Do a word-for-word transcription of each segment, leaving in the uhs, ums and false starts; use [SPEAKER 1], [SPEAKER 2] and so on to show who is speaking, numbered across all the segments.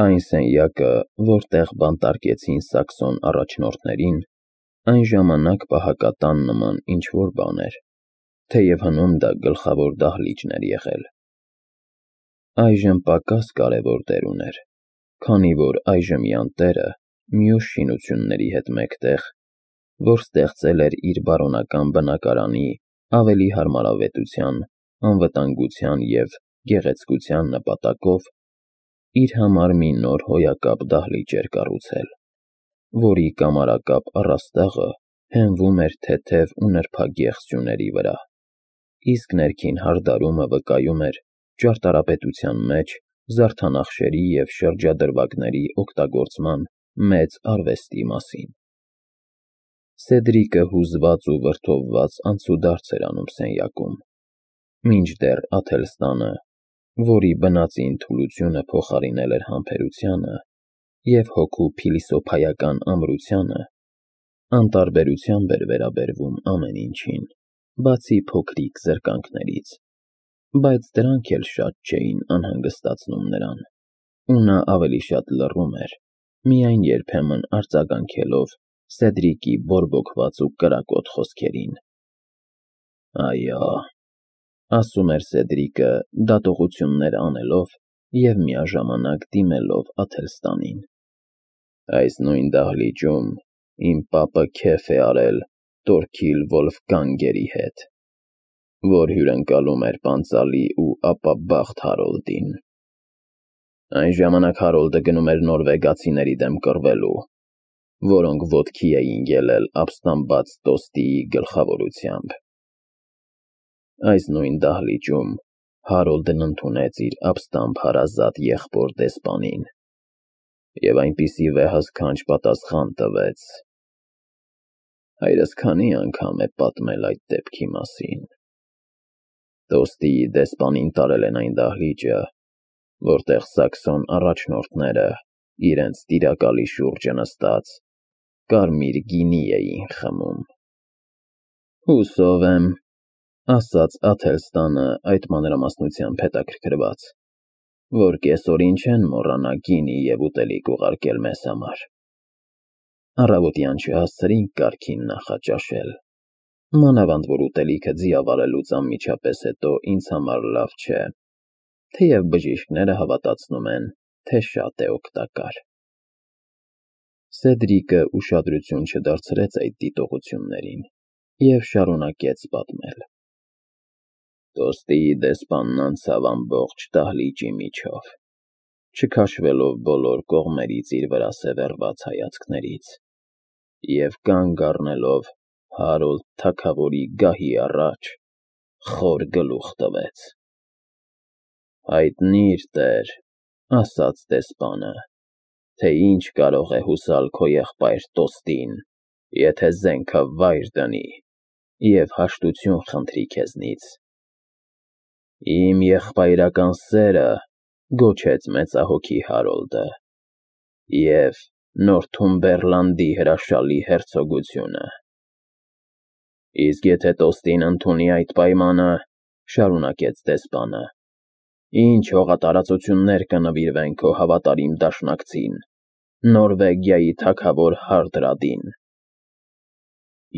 [SPEAKER 1] Այն սենյակը, որտեղ բանտարկեցին սաքսոն առաջնորդներին, այն ժամանակ պահակատան նման ինչ-որ բան էր, թեև հնում դա գլխավոր դահլիճն էր եղել։ Այժմ պակաս կարևոր դեր ուներ, քանի որ այժմյան տերը մյուս շինությունների հետ մեկտեղ, որ ստեղծել էր իր բարոնական բնակարանի ավելի հարմարավետության, անվտանգության և գեղեցկության նպատակով, իր համար մի նոր հոյակապ դահլիճ էր կառուցել, որի կամարակապ առաստաղը հենվում էր թեթև ու նրբագեղ սյուների վրա, իսկ ներքին հարդարումը վկայում էր ճարտարապետության մեջ զարդանախշերի և շրջադրվագների օգտագործման մեծ արվեստի մասին։ Սեդրիկը հուզված ու վրդովված անցուդարձ էր անում սենյակում, մինչդեռ Աթելստանը, որի բնածին թուլությունը փոխարինել էր համբերությանը և հոգու փիլիսոփայական ամրությանը, անտարբերությամբ էր վերաբերվում ամեն ինչին, բացի փոքրիկ զրկանքներից, բայց դրանք էլ շատ չէին անհանգստացնում նրան, ու նա ավելի շատ լռում էր, միայն երբեմն արձագանքելով Սեդրիկի բորբոքված ու կրակոտ խոսքերին։ «Այո», ասում էր Սեդրիկը դատողություններ անելով և միաժամանակ դիմելով Աթելստանին, «այս նույն դահլիճում իմ պապը քեֆ է արել Տորքիլ Վոլֆգանգերի հետ, որ հյուրընկալում էր պանծալի ու ապաբախտ Հարոլդին։ Այն ժամանակ Հարոլդը գնում էր նորվեգացիների դեմ կռվելու, որոնք ոտքի էին ելել ապստամբած Տոստիի գլխավորությամբ։ Այս նույն դահլիճում Հարոլդն ընդունեց իր ապստամբ հարազատ եղբոր դեսպանին և այնպիսի վեհասքանչ պատասխան տվեց։ Հայրս քանի անգամ է պատմել այդ դեպքի մասին։ Տոստիի դեսպանին տարել են այն դահլիճը, որտեղ սաքսոն առաջնորդները իրենց տիրակալի շուրջը նստած կարմիր գինի էին խմում»։ «Հուսով եմ», ասաց Աթելստանը այդ մանրամասնությամբ հետաքրքրված, «որ կեսօրին չեն մոռանա գինի և ուտելիք ուղարկել մեզ համար։ Առավոտյան չհասցրինք կարգին նախաճաշել, մանավանդ որ ուտելիքը ձիավարելուց անմիջապես հետո ինձ համար լավ չէ, թեև բժիշկները հավատացնում են, թե շատ է օգտակար»։ Սեդրիկը ուշադրություն չդարձրեց այդ դիտողություններին և շարունակեց պատմել. «Տոստիի դեսպանն անցավ ամբողջ դահլիճի միջով, չքաշվելով բոլոր կողմերից իր վրա սևեռված հայացքներից, և կանգ առնելով Հարոլդ թագավորի գահի առաջ, խոր գլուխ տվեց. «Հայտնի՛ր, տեր, ասաց դեսպանը, թե ինչ կարող է հուսալ քո եղբայր Տոստին, եթե զենքը վայր դնի և հաշտություն խնդրի քեզնից։ Իմ եղբայրական սերը գոչեց մեծահոգի Հարոլդը և Նորթումբերլանդի հրաշալի հերցոգությունը։ Իսկ եթե Տոստին ընդունի այդ պայմանը, շարունակեց դեսպանը, ինչ հողատարածություններ կնվիրվեն քո հավատարիմ դաշնակցին, Նորվեգիայի թագավոր Հարդրադին։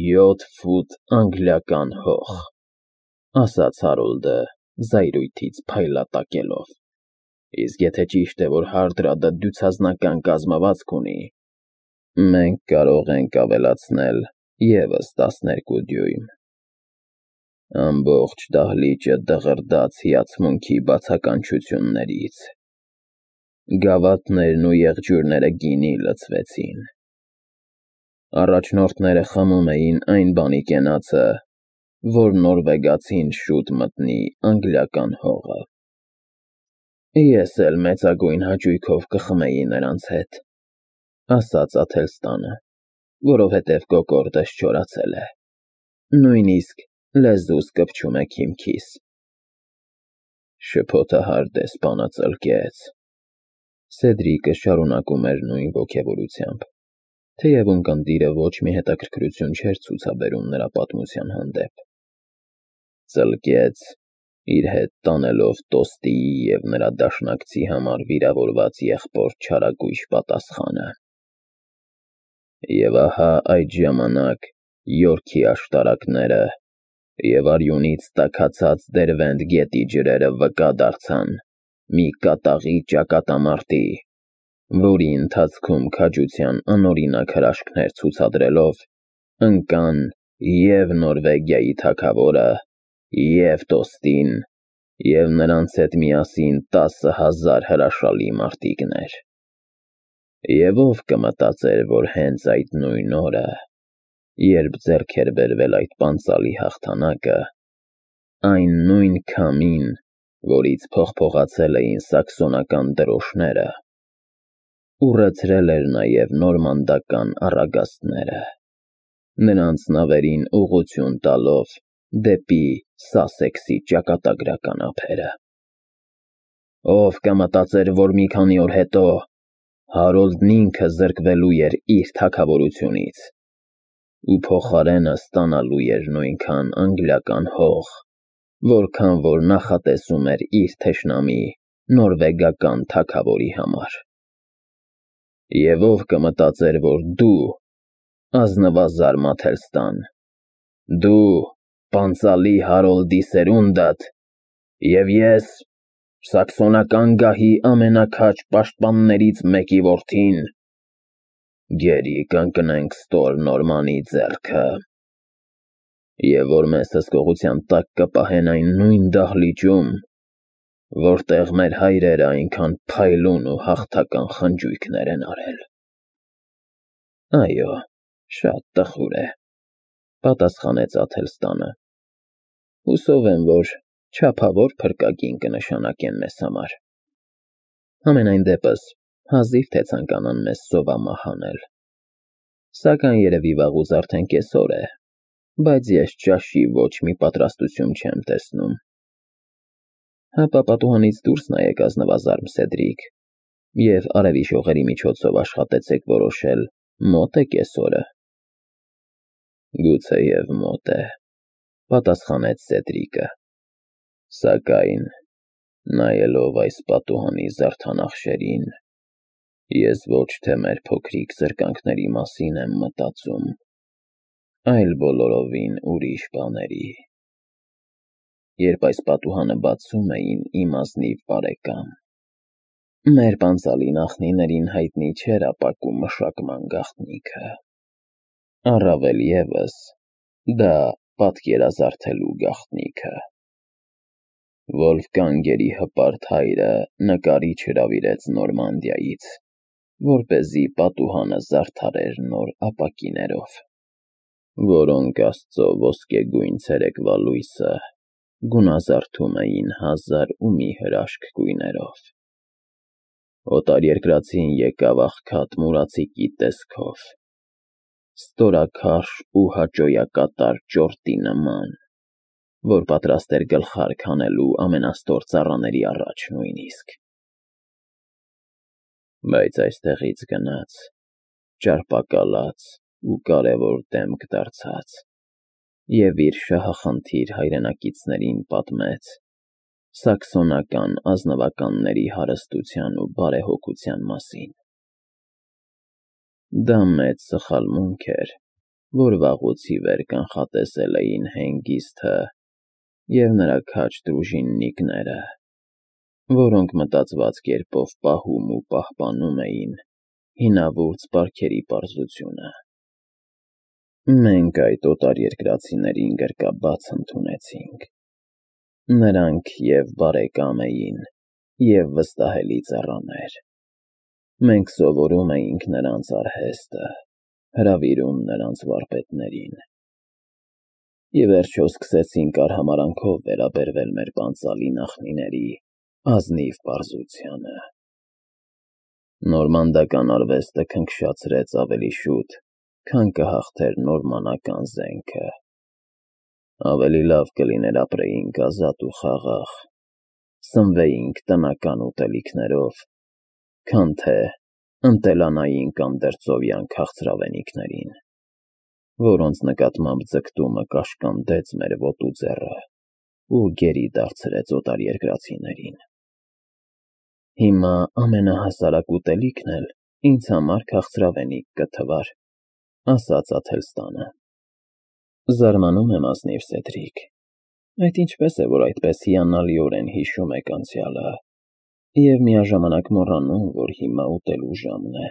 [SPEAKER 1] Յոթ ֆուտ անգլիական հող, ասաց Հարոլդը զայրույթից փայլատակելով, իսկ եթե ճիշտ է, որ Հարդրադը դյուցազնական կազմվածք ունի, մենք կարող ենք ավելացնել ևս տասներկու դյույմ։ Ամբողջ դահլիճը դղրդաց հիացմունքի բացականչություններից, գավաթներն ու եղջյուրները գինի լցվեցին։ Առաջնորդները խմում էին այն բանի կենացը, որ նորվեգացին շուտ մտնի անգլիական հողը։ Ես էլ մեծագույն հաճույքով կխմեի նրանց հետ, ասաց Աթելստանը, որովհետև կոկորդս չորացել է, նույնիսկ լեզուս կպչում է քիմքիս։ Շփոթահար դեսպանը ծլկեց։ Սեդրիկը շարունակում էր նույն ոգևորությամբ, թեև ունկնդիրը ոչ մի հետաքրքրություն չէր ցուցաբերում նրա պատմության հանդեպ։ Ծլկեց իր հետ տանելով Տոստիի և նրա դաշնակցի համար վիրավորված եղբոր չարագույժ պատասխանը։ Եվ ահա այդ ժամանակ Յորքի աշտարակները և արյունից տաքացած Դերվենդ գետի ջրերը վկա դարձան մի կատաղի ճակատամարտի, որի ընթացքում քաջության անօրինակ հրաշքներ ցուցադրելով ընկան և Նորվեգիայի թագավորը, և Տոստին, և նրանց հետ միասին տասը հազար հրաշալի մարտիկներ։ Եվ ով կմտածեր, որ հենց այդ նույն օրը, երբ ձեռք էր բերվել այդ պանծալի հաղթանակը, այն նույն քամին, որից փողփողացել էին սաքսոնական դրոշները, ուռեցրել էր նաև նորմանդական առագաստները, նրանց նավերին ուղղություն տալով դեպի Սասեքսի ճակատագրական ափերը։ Ով կմտածեր, որ մի քանի օր հետո Հարոլդն ինքը զրկվելու էր իր թագավորությունից ու փոխարենը ստանալու էր նույնքան անգլիական հող, որքան որ նախատեսում էր իր թշնամի նորվեգական թագավորի համար։ Եվ ով կմտածեր, որ դու, ազնվազար Մաթելստան, դու, պանծալի Հարոլդի սերունդդ, և ես, սաքսոնական գահի ամենաքաջ պաշտպաններից մեկի որդին, գերի կընկնենք ստոր Նորմանի ձեռքը, և որ մեզ հսկողության տակ կպահեն այն նույն դահլիճում, որտեղ մեր հայրերը այնքան փայլուն ու հաղթական խնջույքներ են արել։ Այո, շատ տխուր է, պատասխանեց Աթելստանը։ Հուսով եմ, որ չափավոր փրկագին կնշանակեն մեզ համար։ Համենայն դեպս, հազիվ թե ցանկանան մեզ սովամահ անել։ Սակայն երևի վաղուց արդեն կեսօր է, բայց ես ճաշի ոչ մի պատրաստություն չեմ տեսնում։ Հապա պատուհանից դուրս նայեք, ազնվազար Սեդրիկ, և արևի շողերի միջոցով աշխատեցեք որոշել մո՞տ է կեսօրը։ Գուցեև մոտ է, պատասխանեց Սեդրիկը, սակայն, նայելով այս պատուհանի զարդանախշերին, ես ոչ թե մեր փոքրիկ զրկանքների մասին եմ մտածում, այլ բոլորովին ուրիշ բաների։ Երբ այս պատուհանը բացում էին, իմ ազնիվ բարեկամ, մեր պանծալի նախնիներին հայտնի չէր ապակու մշակման գաղտնիքը, առավել ևս, դա պատկերազարդելու գաղտնիքը։ Վոլֆգանգերի հպարտ հայրը նկարիչ հրավիրեց Նորմանդիայից, որպեսզի պատուհանը զարդարեր նոր ապակիներով, որոնք աստծո ոսկեգույն ցերեկվա լույսը գունազարդում էին հազար ու մի հրաշք գույներով։ Օտարերկրացին եկավ աղքատ մուրացիկի տեսքով, ստորաքարշ ու հաճոյակատար ճորտի նման, որ պատրաստ էր գլխարկ հանելու ամենաստոր ծառաների առաջ նույնիսկ։ Բայց այստեղից գնաց, ճարպակալած ու կարևոր դեմք դարձած, և իր շահախնդիր հայրենակիցներին պատմեց սաքսոնական ազնվականների հարստության ու բարեհոգության մասին։ Դա մեծ սխալմունք էր, որ վաղուց ի վեր կանխատեսել էին Հենգիսթը և նրա քաջ դրուժիննիկները, որոնք մտածված կերպով պահում ու պահպանում էին հինավուրց բարքերի պարզությունը։ Մենք այդ օտարերկրացիներին գրկաբաց ընդունեցինք։ Նրանք և բարեկամ էին, և վստահելի ծառաներ։ Մենք սովորում էինք նրանց արհեստը, հրավիրում նրանց վարպետներին։ Ի վերջո սկսեցինք արհամարհանքով վերաբերվել մեր պանծալի նախնիների ազնիվ պարզությանը։ Նորմանդական արվեստը քնքշացրեց ավելի շուտ, քան կհաղթեր նորմանական զենքը։ Ավելի լավ կլիներ ապրեինք ազատ ու խաղաղ, սնվեինք տնական ուտելիքներով, քան թե ընտելանայինք անդերձովյան քաղցրավենիքներին, որոնց նկատմամբ ձգտումը կաշկանդեց մեր ոտու ձեռը ու գերի դարձրեց օտարերկրացիներին։ Հիմա ամենահասարակ ուտելիքն էլ ինձ համար քաղցրավենիք կթվար, ասաց Աթելստանը։ Զարմանում եմ ազնիվ Սեդրիկ, այդ ինչպես է, որ այդպես հիանալիորեն հիշում եք անցյալը և միաժամանակ մոռանում, որ հիմա ուտելու ժամն է։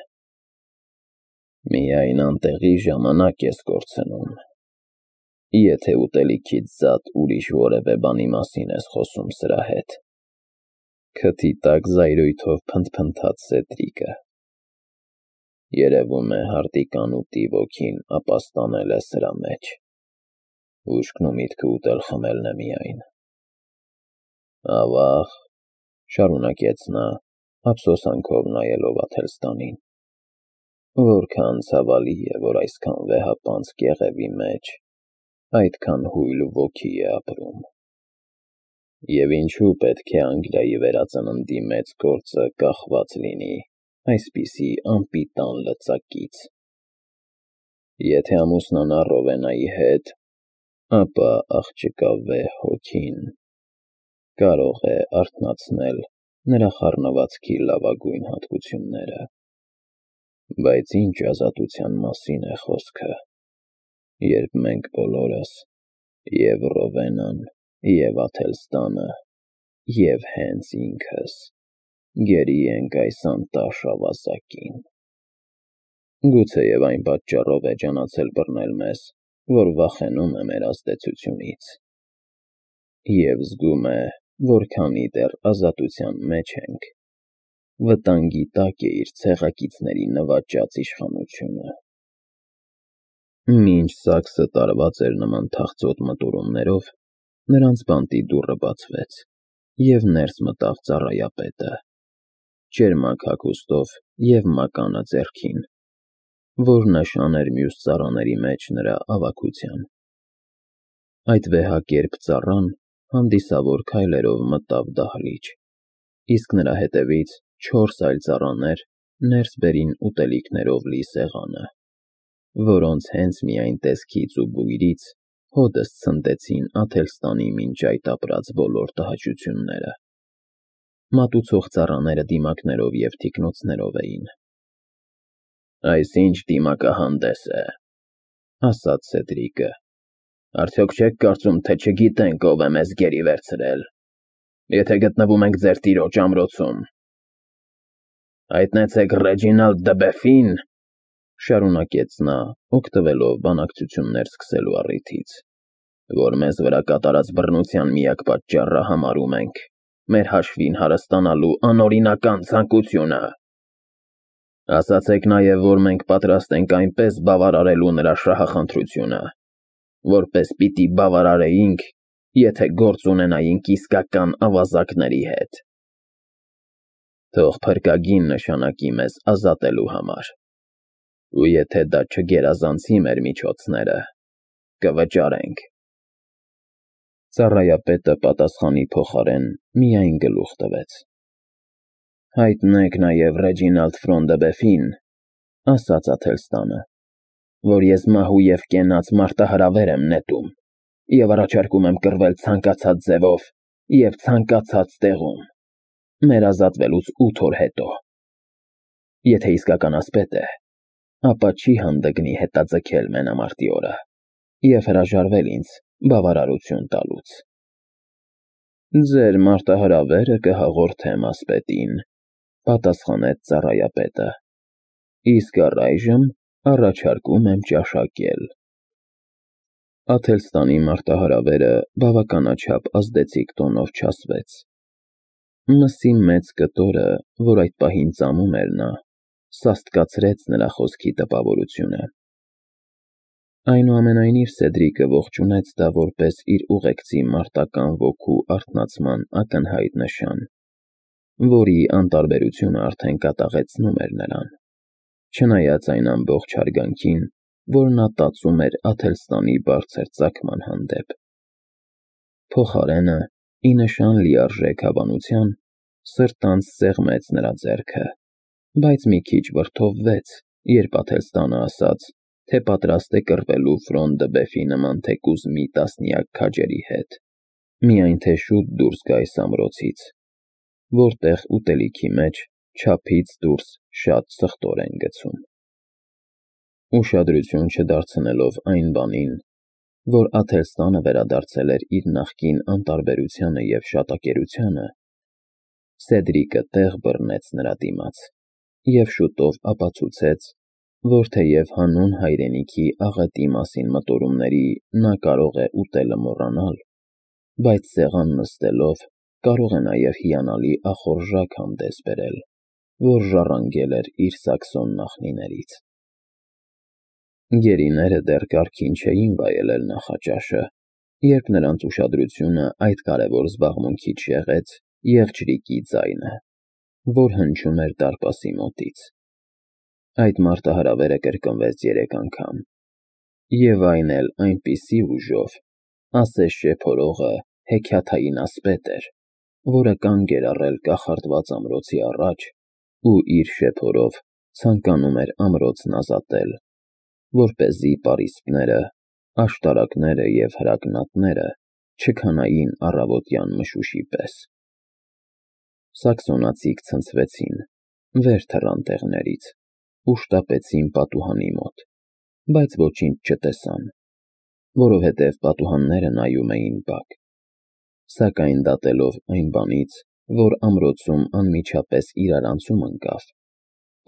[SPEAKER 1] Միայն անտեղի ժամանակ ես կորցնում, եթե ուտելիքից զատ ուրիշ որևէ բանի մասին ես խոսում սրա հետ, քթի տակ զայրույթով փնթփնթաց Սեդրիկը։ Երևում է հարտիկանուտի ոգին ապաստանել է սրա մեջ, ուշքն ու միտքը ուտել խմելն է միայն։ Ավաղ, շարունակեց նա, ափսոսանքով նայելով Աթելստանին, որքան ցավալի է, որ այսքան վեհապանծ կեղևի մեջ այդքան հույլ ոգի է ապրում։ Եվ ինչու պետք է Անգլիայի վերածննդի մեծ գործը կախված լինի այսպիսի անպիտան լծակից։ Եթե ամուսնանա Ռովենայի հետ, ապա աղջկա վեհ հոգին կարող է արթնացնել նրա խառնվածքի լավագույն հատկությունները։ Բայց ինչ ազատության մասին է խոսքը, երբ մենք բոլորս, և Ռովենան, և Աթելստանը, և հենց ինքս, գերի ենք այս անտաշ ավազակին։ Գուցեև այն պատճառով է ջանացել բռնել մեզ, որ վախենում է մեր ազդեցությունից, և զգում է, որ քանի դեռ ազատության մեջ ենք, վտանգի տակ է իր ցեղակիցների նվաճած իշխանությունը։ Մինչ Սաքսը տարված էր նման թախծոտ մտորումներով, նրանց բանտի դուռը բացվեց, և ներս մտավ ծառայապետը, ճերմակ հագուստով և մականը ձեռքին, որ նշան էր մյուս ծառաների մեջ նրա ավագության։ Այդ վեհակերպ ծառան հանդիսավոր քայլերով մտավ դահլիճ, իսկ նրա հետևից չորս այլ ծառաներ ներս բերին ուտելիքներով լի սեղանը, որոնց հենց միայն տեսքից ու բույրից հօդս ցնդեցին Աթելստանի մինչ այդ ապրած բոլոր տհաճությունները։ Մատուցող ծառաները դիմակներով և թիկնոցներով էին։ Այս ինչ դիմակահանդես է, ասաց Սեդրիկը, արդյոք չեք կարծում, թե չգիտենք ով է մեզ գերի վերցրել, եթե գտնվում ենք ձեր տիրոջ ամրոցում։ Հայտնեցեք Ռեջինալդ դը Բեֆին, շարունակեց նա, օգտվելով բանակցություններ սկսելու առիթից, որ մեզ վրա կատարած բռնության միակ պատճառը համարում ենք մեր հաշվին հարստանալու անօրինական ցանկությունը։ Ասացեք նաև, որ մենք պատրաստ ենք այնպես բավարարելու նրա շահախնդրությունը, որպես պիտի բավարարեինք, եթե գործ ունենայինք իսկական ավազակների հետ։ Թող փրկագին նշանակի մեզ ազատելու համար, ու եթե դա չգերազանցի մեր միջոցները, կվճարենք։ Ծառայապետը պատասխանի փոխարեն միայն գլուխ տվեց։ Հայտնեք նաև Ռեջինալդ Ֆրոն դը Բեֆին, ասաց Աթելստանը, որ ես մահու և կենաց մարտահրավեր եմ նետում և առաջարկում եմ կռվել ցանկացած ձևով և ցանկացած տեղում, մեր ազատվելուց ութ օր հետո։ Եթե իսկական ասպետ է, ապա չի հանդգնի հետաձգել մենամարտի օրը և հրաժարվել ինձ բավարարություն տալուց։ Ձեր մարտահրավերը կհաղորդեմ ասպետին, պատասխանեց ծառայապետը, իսկ առայժմ առաջարկում եմ ճաշակել։ Աթելստանի մարտահրավերը բավականաչափ ազդեցիկ տոնով չասվեց։ Մսի մեծ կտորը, որ այդ պահին ծամում էր նա, սաստկացրեց նրա խոսքի տպավորությունը։ Այնուամենայնիվ Սեդրիկը ողջունեց դա որպես իր ուղեկցի մարտական ոգու արթնացման ակնհայտ նշան, որի անտարբերությունը արդեն կատաղեցնում էր նրան, չնայած այն ամբողջ հարգանքին, որ նա տածում էր Աթելստանի բարձր ծագման հանդեպ։ Փոխարենը, ի նշան լիարժեք հավանության, սրտանց սեղմեց նրա ձեռքը, բայց մի քիչ վրդովվեց, երբ Աթելստանը ասաց, թե պատրաստ է կռվելու Ֆրոն դը Բեֆի նման թեկուզ մի տասնյակ քաջերի հետ, Միայն թե շուտ դուրս գա այս ամրոցից, որտեղ ուտելիքի մեջ չափից դուրս շատ սխտոր են գցում։ Ուշադրություն չդարձնելով այն բանին, որ Աթելստանը վերադարձել էր իր նախկին անտարբերությանը և շատակերությանը, Սեդրիկը տեղ բռնեց նրա դիմաց և շուտով ապացուցեց, որ թեև հանուն հայրենիքի աղետի մասին մտորումների նա կարող է ուտելը մոռանալ, բայց սեղան նստելով կարող է նաև հիանալի ախորժակ հանդես բերել, որ ժառանգել էր իր սաքսոն նախնիներից։ Գերիները դեռ կարգին չէին վայելել նախաճաշը, երբ նրանց ուշադրությունը այդ կարևոր զբաղմունքից շեղեց եղջյուրիկի ձայնը, որ հնչում էր դարպասի մոտից։ Այդ մարտահրավերը կրկնվեց երեք անգամ, և այն էլ այնպիսի ուժով, ասես շեփորողը հեքիաթային ասպետ էր, որը կանգ էր առել կախարդված ամրոցի առաջ ու իր շեփորով ցանկանում էր ամրոցն ազատել, որպեսզի պարիսպները, աշտարակները և հրակնատները չքանային առավոտյան մշուշի պես։ Սաքսոնացիք ցնցվեցին, վեր թռան տեղներից ու շտապեցին պատուհանի մոտ, բայց ոչինչ չտեսան, որովհետև պատուհանները նայում էին բաք։ Սակայն դատելով այն բանից, որ ամրոցում անմիջապես իրարանցում ընկավ,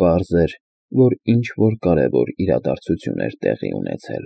[SPEAKER 1] պարզ էր, որ ինչ֊որ կարևոր իրադարձություն էր տեղի ունեցել։